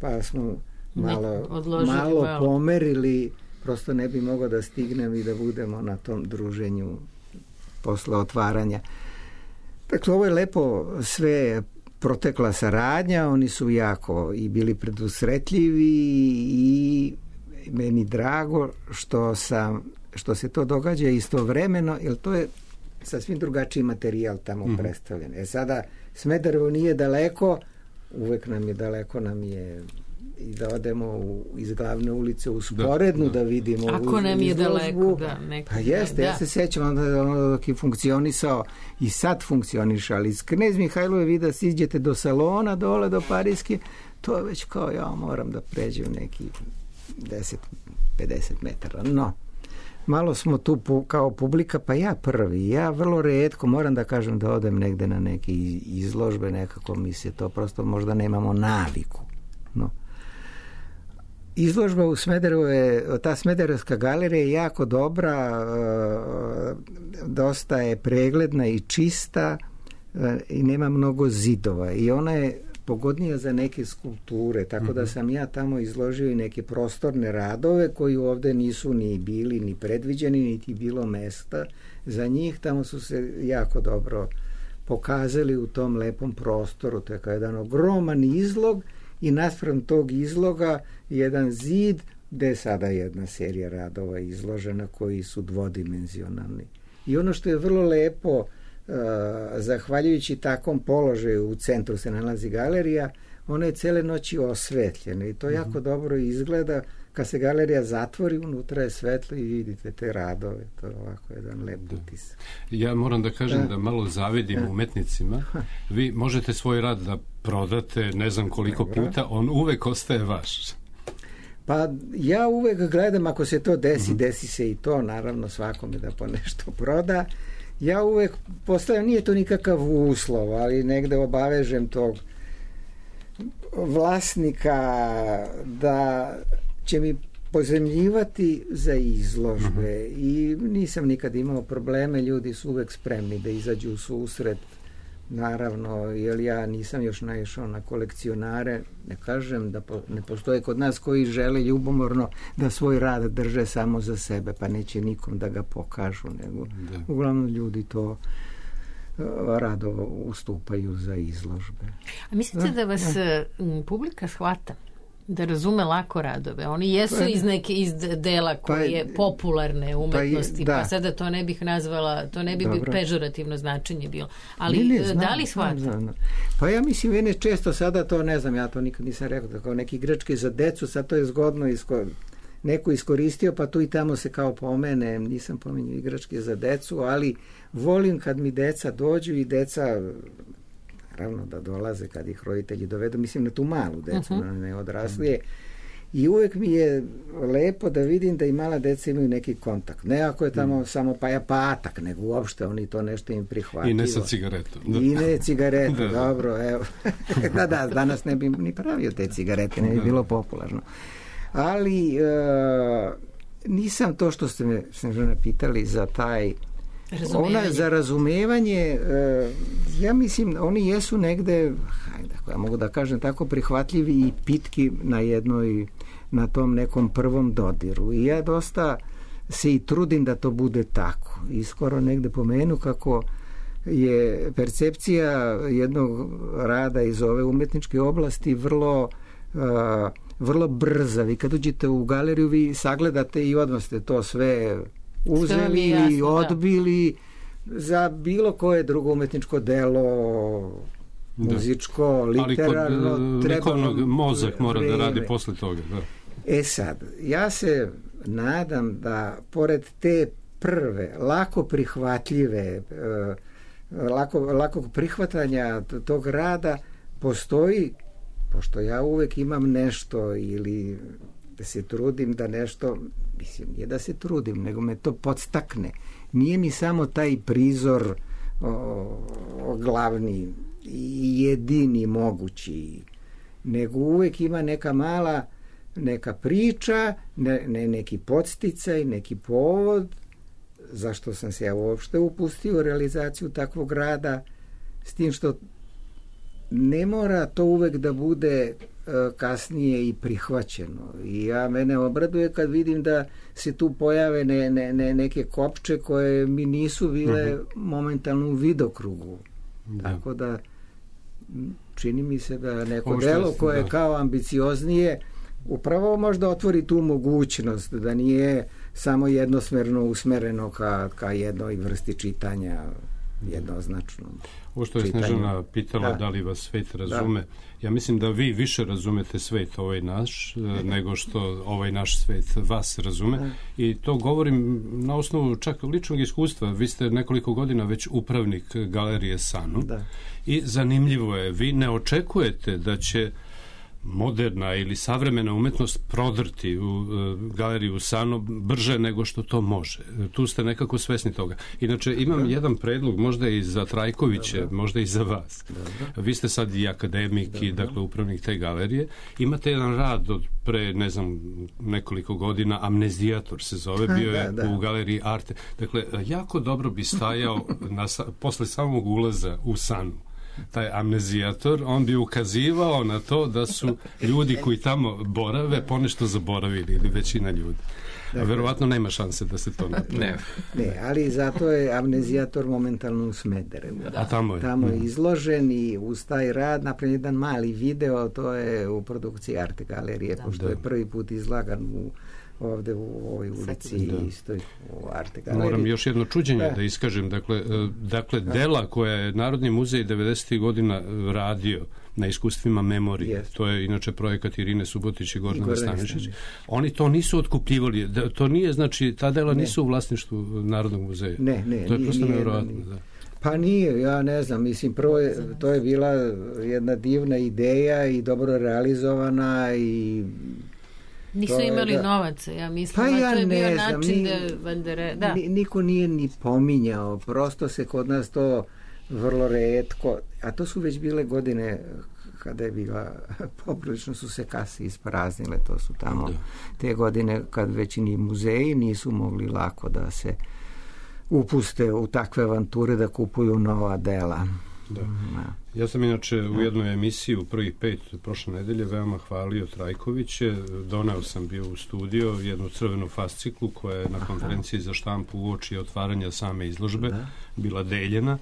pa smo malo pomerili, prosto ne bi mogao da stignem i da budemo na tom druženju posle otvaranja. Dakle, ovo je lepo sve protekla saradnja, oni su jako i bili predusretljivi i meni drago što se to događa istovremeno, jer to je sasvim drugačiji materijal tamo predstavljen. Sada Smederevo nije daleko, uvek nam je daleko, nam je i da odemo iz glavne ulice u Sporednu da vidimo. Ako nam je daleko, pa jeste, ja se sećam onda dok je funkcionisao i sad funkcioniše, ali iz Knez Mihajlove vi da siđete do salona dole do Parijske, to je već kao ja moram da pređem neki 10-50 metara. No, malo smo tu kao publika, pa ja prvi. Ja vrlo retko moram da kažem da odem negde na neke izložbe, nekako mi se to prosto možda nemamo naviku. No. Izložba u Smederevu ta Smederevska galerija je jako dobra, dosta je pregledna i čista i nema mnogo zidova i ona je pogodnija za neke skulpture, tako da sam ja tamo izložio i neke prostorne radove koji ovde nisu ni bili ni predviđeni, niti bilo mesta za njih. Tamo su se jako dobro pokazali u tom lepom prostoru. To je kao jedan ogroman izlog i naspram tog izloga jedan zid gde je sada jedna serija radova izložena koji su dvodimenzionalni. I ono što je vrlo lepo, zahvaljujući takvom položaju u centru se nalazi galerija, ona je cele noći osvetljena i to jako dobro izgleda. Kad se galerija zatvori, unutra je svetlo i vidite te radove. To je ovako jedan lep utisak. Ja moram da kažem da malo zavidim umetnicima. Vi možete svoj rad da prodate ne znam koliko puta, on uvek ostaje vaš. Pa ja uvek gledam, ako se to desi, desi se i to, naravno svakome da po nešto proda. Ja uvek postavljam, nije to nikakav uslov, ali negde obavežem tog vlasnika da će mi pozemljivati za izložbe i nisam nikad imao probleme, ljudi su uvek spremni da izađu u susret, naravno, jer ja nisam još naišao na kolekcionare, ne kažem da ne postoje kod nas koji žele ljubomorno da svoj rad drže samo za sebe, pa neće nikom da ga pokažu, nego uglavnom ljudi to rado ustupaju za izložbe. A mislite da vas publika shvata? Da razume lako radove. Oni jesu iz dela koje je popularne umetnosti, pa sada to ne bih nazvala, to ne bi pežorativno značenje bilo. Ali da li shvata? Pa ja mislim, mene često sada to, ne znam, ja to nikad nisam rekao, kao neki igračke za decu, sad to je zgodno neko iskoristio, pa tu i tamo se kao pomene, nisam pominjao igračke za decu, ali volim kad mi deca dođu i deca naravno da dolaze kad ih roditelji dovedu, mislim na tu malu decu, na ne odraslije. I uvek mi je lepo da vidim da i mala deca imaju neki kontakt. Ne ako je tamo samo patak, nego uopšte oni to nešto im prihvatilo. I ne sa cigaretom. I ne cigaretu, dobro, evo. Da, danas ne bi ni pravio te cigarete, ne bi bilo popularno. Ali nisam to što ste me Snežana pitali za taj za razumevanje, ja mislim, oni jesu negde, ja mogu da kažem tako, prihvatljivi i pitki na tom nekom prvom dodiru. I ja dosta se i trudim da to bude tako. I skoro negde pomenu kako je percepcija jednog rada iz ove umetničke oblasti vrlo brza. Vi kad uđete u galeriju, vi sagledate i odmah ste to sve uzeli i odbili za bilo koje drugo umetničko delo, muzičko, literarno. Ali kod likovnog mozak mora da radi posle toga. Sad, ja se nadam da pored te prve, lako prihvatljive, lako prihvatanja tog rada postoji, pošto ja uvek imam nešto ili da se trudim da nešto, mislim, nije da se trudim, nego me to podstakne. Nije mi samo taj prizor glavni i jedini mogući, nego uvek ima neka priča, neki podsticaj, neki povod zašto sam se ja uopšte upustio u realizaciju takvog rada, s tim što ne mora to uvek da bude kasnije i prihvaćeno. I mene obraduje kad vidim da se tu pojave neke kopče koje mi nisu bile momentalno u vidokrugu. Tako da čini mi se da neko delo koje je kao ambicioznije upravo možda otvori tu mogućnost da nije samo jednosmerno usmereno ka jednoj vrsti čitanja jednoznačno. Ovo što je Snežana pitala da li vas svet razume, ja mislim da vi više razumete svet ovaj naš nego što ovaj naš svet vas razume i to govorim na osnovu čak ličnog iskustva. Vi ste nekoliko godina već upravnik galerije Sanu i zanimljivo je, vi ne očekujete da će moderna ili savremena umetnost prodrti u galeriju Sano brže nego što to može. Tu ste nekako svesni toga. Inače, imam jedan predlog, možda i za Trajkovića, možda i za vas. Vi ste sad i akademik i dakle upravnik te galerije. Imate jedan rad od pre, ne znam, nekoliko godina, Amnezijator se zove, bio je u galeriji Arte. Dakle, jako dobro bi stajao posle samog ulaza u Sanu. Taj Amnezijator, on bi ukazivao na to da su ljudi koji tamo borave ponešto zaboravili ili većina ljudi. A verovatno nema šanse da se to napravi. Ne, ali zato je Amnezijator momentalno u Smederevu. A tamo je. Tamo je izložen i uz taj rad napravljen jedan mali video, to je u produkciji Arte galerije, pošto je prvi put izlagan ovde u ovoj ulici istoj u Arte galeriji. Moram još jedno čuđenje da iskažem. Dakle, dela koja je Narodni muzej 90. godina radio na iskustvima memorije, to je inače projekat Irine Subotić i Gordana Stanišić, oni to nisu otkupljivali. To nije, znači, ta dela nisu u vlasništvu Narodnog muzeja. Ne, to je prosto nevjerovatno. Pa nije, ja ne znam, mislim, prvo to je bila jedna divna ideja i dobro realizovana i nisu imali novaca, ja mislim, to je bio način da... Niko nije ni pominjao, prosto se kod nas to vrlo retko, a to su već bile godine kada je bila, poprilično su se kase ispraznile, to su tamo te godine kad već ni muzeji nisu mogli lako da se upuste u takve avanture da kupuju nova dela. Ja sam inače u jednoj emisiji u prvih 5 prošle nedelje veoma hvalio Trajkoviće. Doneo sam bio u studio jednu crvenu fasciklu koja je na konferenciji za štampu uoči otvaranja same izložbe bila deljena.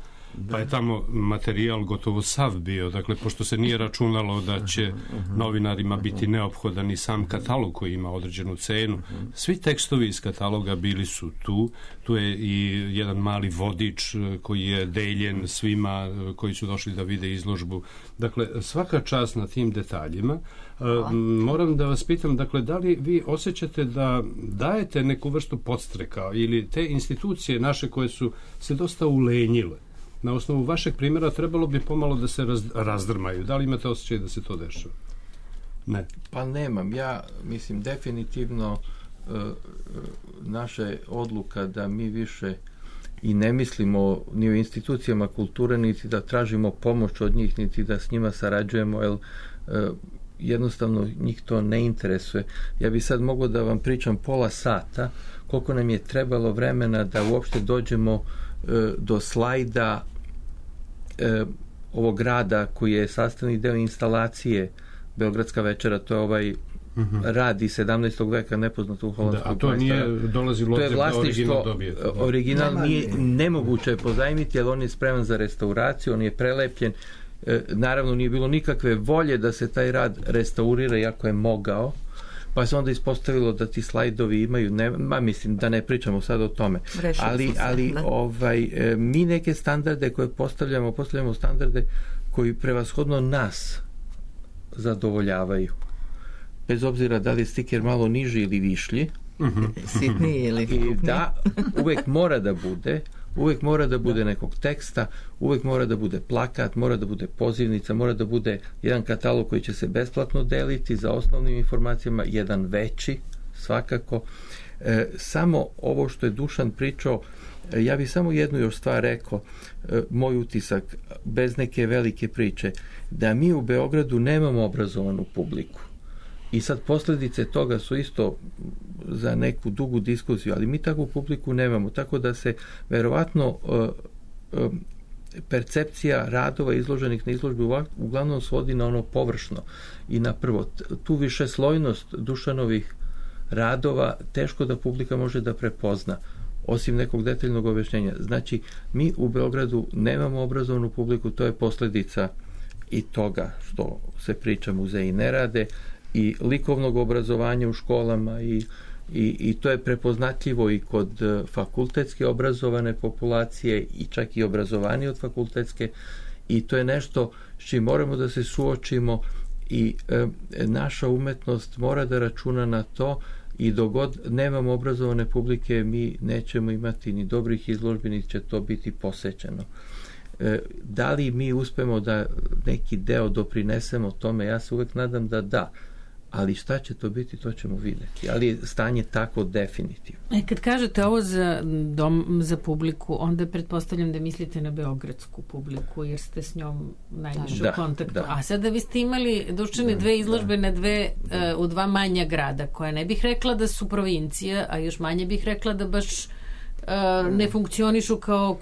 Pa je tamo materijal gotovo sav bio, dakle, pošto se nije računalo da će novinarima biti neophodan i sam katalog koji ima određenu cenu. Svi tekstovi iz kataloga bili su tu. Tu je i jedan mali vodič koji je deljen svima koji su došli da vide izložbu. Dakle, svaka čast na tim detaljima. Moram da vas pitam, dakle, da li vi osjećate da dajete neku vrstu podstreka ili te institucije naše koje su se dosta ulenjile? Na osnovu vašeg primjera trebalo bi pomalo da se razdrmaju. Da li imate osjećaj da se to dešava? Ne. Pa nemam. Ja mislim definitivno naša odluka da mi više i ne mislimo ni o institucijama kulture, niti da tražimo pomoć od njih, niti da s njima sarađujemo, jer jednostavno njih to ne interesuje. Ja bi sad mogao da vam pričam pola sata koliko nam je trebalo vremena da uopšte dođemo do slajda ovog rada koji je sastavni deo instalacije Beogradska večera, to je ovaj rad iz 17. veka nepoznato u holandskog majstora. A to nije dolazilo to je vlasništvo, original nije nemoguće je pozajmiti, jer on je spreman za restauraciju, on je prelepljen. Naravno nije bilo nikakve volje da se taj rad restaurira, iako je mogao, pa se onda ispostavilo da ti slajdovi imaju, mislim da ne pričamo sad o tome, ali mi neke standarde koje postavljamo standarde koji prevashodno nas zadovoljavaju, bez obzira da li je stiker malo niži ili višlji, sitniji ili i da uvek mora da bude nekog teksta, uvek mora da bude plakat, mora da bude pozivnica, mora da bude jedan katalog koji će se besplatno deliti za osnovnim informacijama, jedan veći svakako. Samo ovo što je Dušan pričao, ja bih samo jednu još stvar rekao, moj utisak, bez neke velike priče, da mi u Beogradu nemamo obrazovanu publiku. I sad posljedice toga su isto za neku dugu diskusiju, ali mi takvu publiku nemamo, tako da se verovatno percepcija radova izloženih na izložbi uglavnom svodi na ono površno i na prvo. Tu višeslojnost Dušanovih radova teško da publika može da prepozna, osim nekog detaljnog objašnjenja. Znači, mi u Beogradu nemamo obrazovanu publiku, to je posljedica i toga što se priča muzeji ne rade, i likovnog obrazovanja u školama i to je prepoznatljivo i kod fakultetske obrazovane populacije i čak i obrazovanje od fakultetske, i to je nešto s čim moramo da se suočimo i naša umetnost mora da računa na to, i dok god nemamo obrazovane publike mi nećemo imati ni dobrih izložbi, ni će to biti posećeno. Da li mi uspemo da neki deo doprinesemo tome, ja se uvek nadam da, ali šta će to biti, to ćemo vidjeti. Ali je stanje tako definitivno. Kad kažete ovo za publiku, onda pretpostavljam da mislite na beogradsku publiku, jer ste s njom najviše u kontaktu. Da. A sada vi ste imali, Dušane, dve izložbe u dva manja grada, koja ne bih rekla da su provincija, a još manje bih rekla da baš ne funkcionišu kao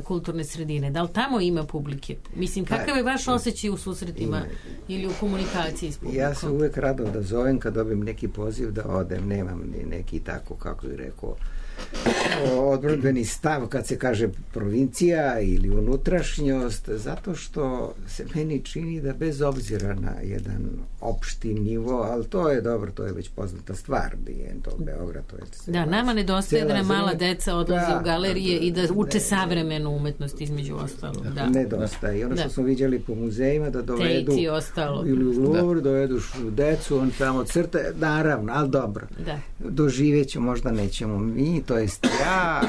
kulturne sredine. Da li tamo ima publike? Mislim, kakav je vaš osjećaj u susretima ili u komunikaciji s publikom? Ja se uvek rado da zovem kad dobijem neki poziv da odem, nemam ni neki tako, kako bih rekao, odbrodbeni stav kad se kaže provincija ili unutrašnjost, zato što se meni čini da bez obzira na jedan opšti nivo, ali to je dobro, to je već poznata stvar, je to Beograd, to je... Da, nama nedostaje da nam mala deca odlaze u galerije i da uče savremenu umetnost između ostalog. Nedostaje. I ono što smo viđali po muzejima, da dovedu ili u Louvre, dovedu decu, on tamo crte, naravno, ali dobro. Doživećemo, možda nećemo mi, to jest ja,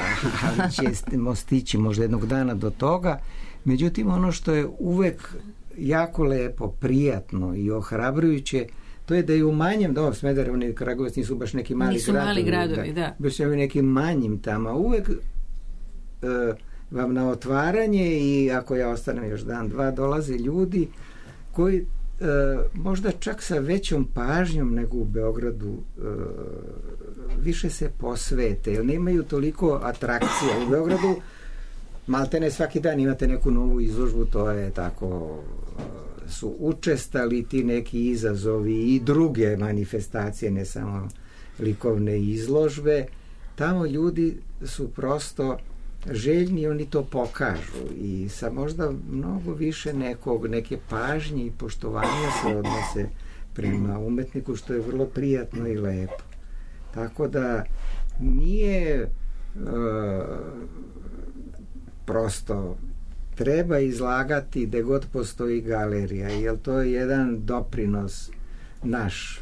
ali ćemo stići možda jednog dana do toga. Međutim, ono što je uvek jako lepo, prijatno i ohrabrujuće, to je da je u manjem, Smederevo i Kragujevac nisu baš neki mali gradovi, baš je nekim manjim tamo, uvek vam na otvaranje, i ako ja ostanem još dan, dva, dolaze ljudi koji možda čak sa većom pažnjom nego u Beogradu više se posvete, jer nemaju toliko atrakcija. U Beogradu maltene svaki dan imate neku novu izložbu, to je tako, su učestali ti neki izazovi i druge manifestacije, ne samo likovne izložbe. Tamo ljudi su prosto željni, oni to pokažu i sa možda mnogo više neke pažnje i poštovanja se odnose prema umetniku, što je vrlo prijatno i lepo. Tako da nije prosto treba izlagati gde god postoji galerija, jer to je jedan doprinos naš,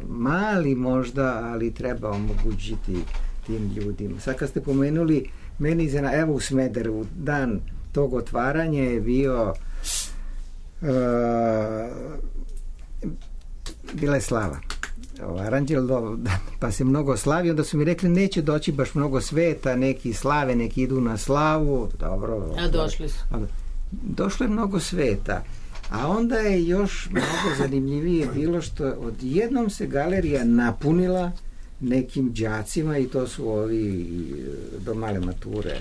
mali možda, ali treba omogućiti tim ljudima. Sad kad ste pomenuli meni, evo u Smederevu, dan tog otvaranja je bio bila je slava. Aranđel, pa se mnogo slavi, onda su mi rekli neće doći baš mnogo sveta, neki slave, neki idu na slavu. Dobro. A došli su. Došlo je mnogo sveta. A onda je još mnogo zanimljivije bilo što odjednom se galerija napunila nekim đacima, i to su ovi do male mature.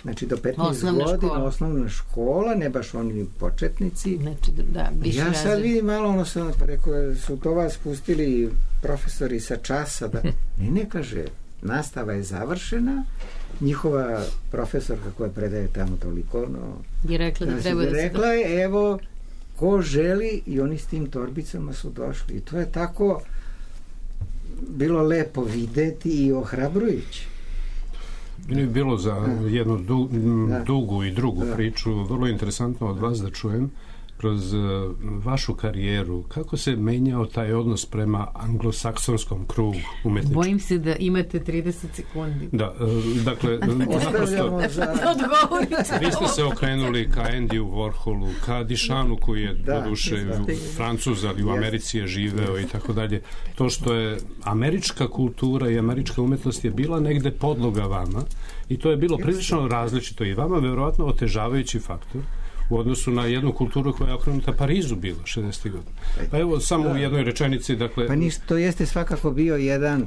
Znači do 15 godina osnovna škola, ne baš oni početnici. Znači, ja sad vidim malo, rekao, su to vas pustili profesori sa časa, da ne kaže, nastava je završena, njihova profesorka koja predaje tamo toliko, je rekla da treba da se... Rekla je, evo, ko želi, i oni s tim torbicama su došli. I to je tako bilo lepo videti i ohrabrujuće. Meni je bilo za jednu dugu i drugu priču vrlo interesantno od vas da čujem kroz vašu karijeru, kako se menjao taj odnos prema anglosaksonskom krugu umetničkom? Bojim se da imate 30 sekundi. Da, dakle, vi ste se okrenuli ka Andyju Warholu, ka Dišanu koji je doduše Francuz, ali u Americi je živeo i tako dalje. To što je američka kultura i američka umetnost je bila negde podloga vama i to je bilo prilično različito i vama verovatno otežavajući faktor u odnosu na jednu kulturu koja je okrenuta Parizu bila 60. godina. Pa evo samo u jednoj rečenici, dakle... Pa ništa, to jeste svakako bio jedan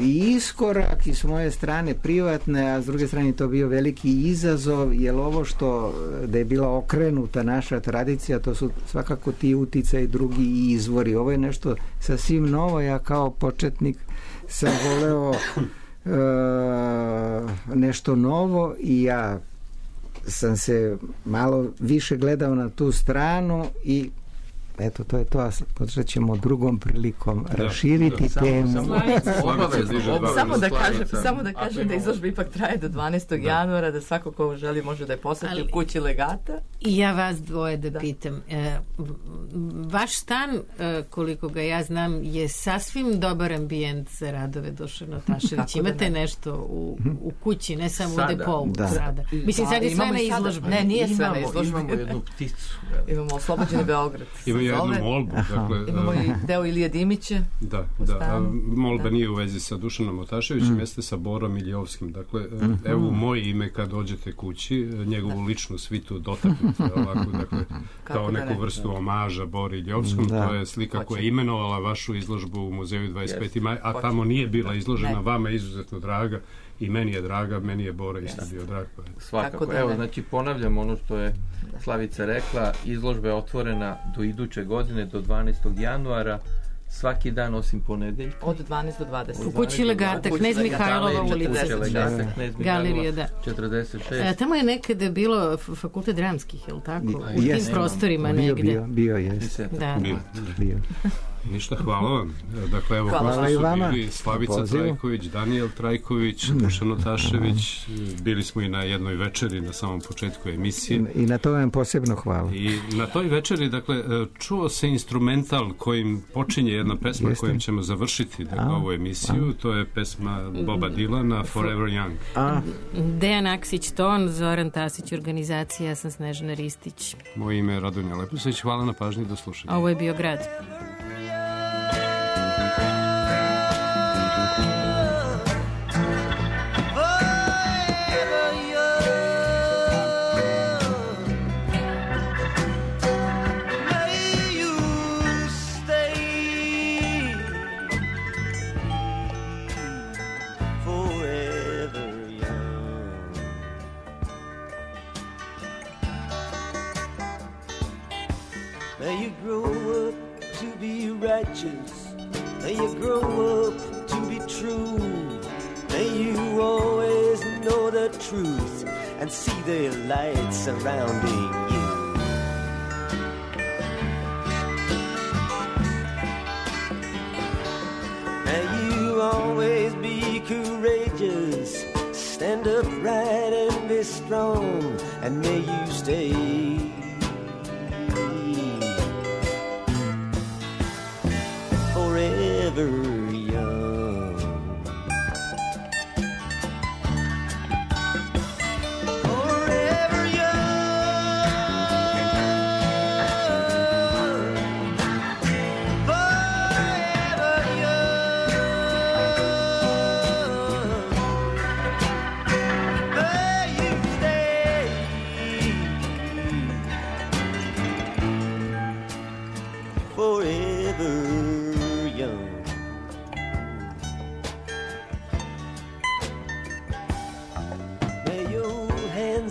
i iskorak i s moje strane privatne, a s druge strane to bio veliki izazov, jer ovo što da je bila okrenuta naša tradicija, to su svakako ti uticaji, drugi izvori. Ovo je nešto sasvim novo. Ja kao početnik sam voleo nešto novo i ja sam se malo više gledao na tu stranu i eto, to je to, a počet ćemo drugom prilikom raširiti temu. Samo da kažem da izložba ipak traje do 12. januara, da svako ko želi može da je poseti u kući Legata. I ja vas dvoje da pitam. Vaš stan, koliko ga ja znam, je sasvim dobar ambijent za radove Dušana Taševića. Imate nešto u kući, ne samo u depou sada. Mislim, sad je sve na izložbi. Ne, nije sve na izložbi. Imamo jednu pticu. Imamo Oslobođeni Beograd. Jednu molbu. Dakle, imamo i deo Ilije Dimića. Da. Molba nije u vezi sa Dušanom Otaševićem, jeste sa Borom Iljovskim. Dakle, evo moje ime kad dođete kući, njegovu ličnu svitu dotaknete ovako, dakle, kao neku vrstu omaža Bori Iljovskom. To je slika koja je imenovala vašu izložbu u muzeju 25. maj, a tamo nije bila izložena, vama je izuzetno draga. I meni je draga, meni je Bora isto bio drag. Svakako. Evo, znači ponavljam ono što je Slavica rekla, izložba je otvorena do iduće godine, do 12. januara, svaki dan osim ponedeljka. Od 12 do 20. U kući Legata, Knez Mihajlova ulica. Galerija, da. 46. Tamo je nekada bilo fakultet dramskih, je li tako? U tim prostorima negde. Bio je. Bio. Ništa, hvala vam. Dakle, evo, ko su bili Slavica Trajković, Danijel Trajković, Dušan Otašević, bili smo i na jednoj večeri na samom početku emisije. I na to vam posebno hvala. I na toj večeri, dakle, čuo se instrumental kojim počinje jedna pesma kojim ćemo završiti ovu emisiju. To je pesma Boba Dylana, Forever Young. Dejan Aksić, ton, Zoran Tasić, organizacija, ja sam Snežana Ristić. Moje ime je Radonja Lepusović, hvala na pažnji, do slušanja. Ovo je bio Grad. May you grow up to be true. May you always know the truth and see the light surrounding you. May you always be courageous, stand upright and be strong, and may you stay forever young. Forever young. Forever young. May you stay forever.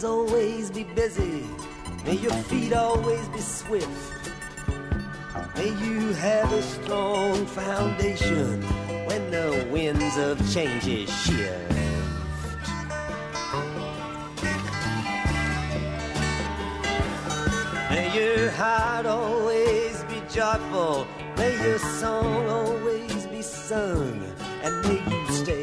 Always be busy, may your feet always be swift, may you have a strong foundation when the winds of change shift. May your heart always be joyful, may your song always be sung, and may you stay